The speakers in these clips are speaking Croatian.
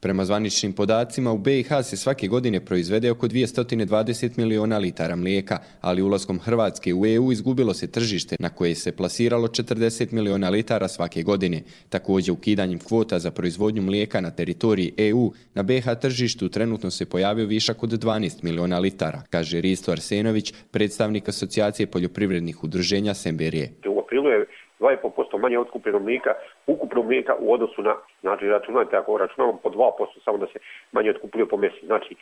Prema zvaničnim podacima, u BiH se svake godine proizvede oko 220 miliona litara mlijeka, ali ulaskom Hrvatske u EU izgubilo se tržište na koje se plasiralo 40 miliona litara svake godine. Također, ukidanjem kvota za proizvodnju mlijeka na teritoriji EU, na BiH tržištu trenutno se pojavio višak od 12 miliona litara, kaže Risto Arsenović, predstavnik Asocijacije poljoprivrednih udruženja Semberije. U aprilu je 2,5% manje otkupljeno mlijeka, ukupno mlijeka u odnosu na, znači računajte, ako računamo po 2%, samo da se manje otkupljuje po mjesecu. Znači,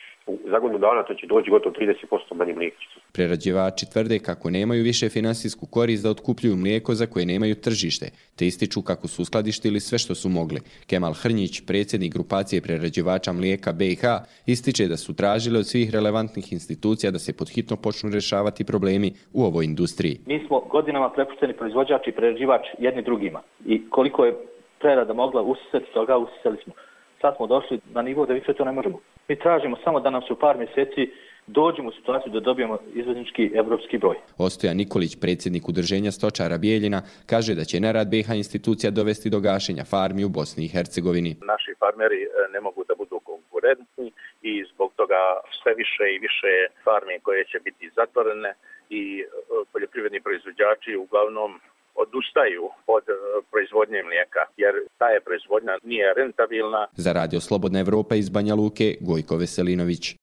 za godinu dana to će doći gotovo 30% manje mlijeka. Prerađivači tvrde kako nemaju više finansijsku korist da otkupljuju mlijeko za koje nemaju tržište, te ističu kako su uskladištili sve što su mogli. Kemal Hrnjić, predsjednik grupacije prerađivača mlijeka BiH, ističe da su tražili od svih relevantnih institucija da se podhitno počnu rješavati problemi u ovoj industriji. Mi smo godinama prepušteni proizvođač i prerađivač jedni drugima i koliko je prerada mogla usisati toga, usisali smo. Sad smo došli na nivo da više to ne možemo. Mi tražimo samo da nam se u par mjeseci dođemo u situaciju da dobijemo izvoznički evropski broj. Ostojan Nikolić, predsjednik udruženja stočara Bijeljina, kaže da će nerad BiH institucija dovesti do gašenja farmi u Bosni i Hercegovini. Naši farmeri ne mogu da budu konkurentni i zbog toga sve više i više farmi koje će biti zatvorene i poljoprivredni proizvođači uglavnom odustaju od proizvodnje mlijeka, jer ta je proizvodnja nije rentabilna. Za Radio Slobodna Evropa iz Banja Luke, Gojko Veselinović.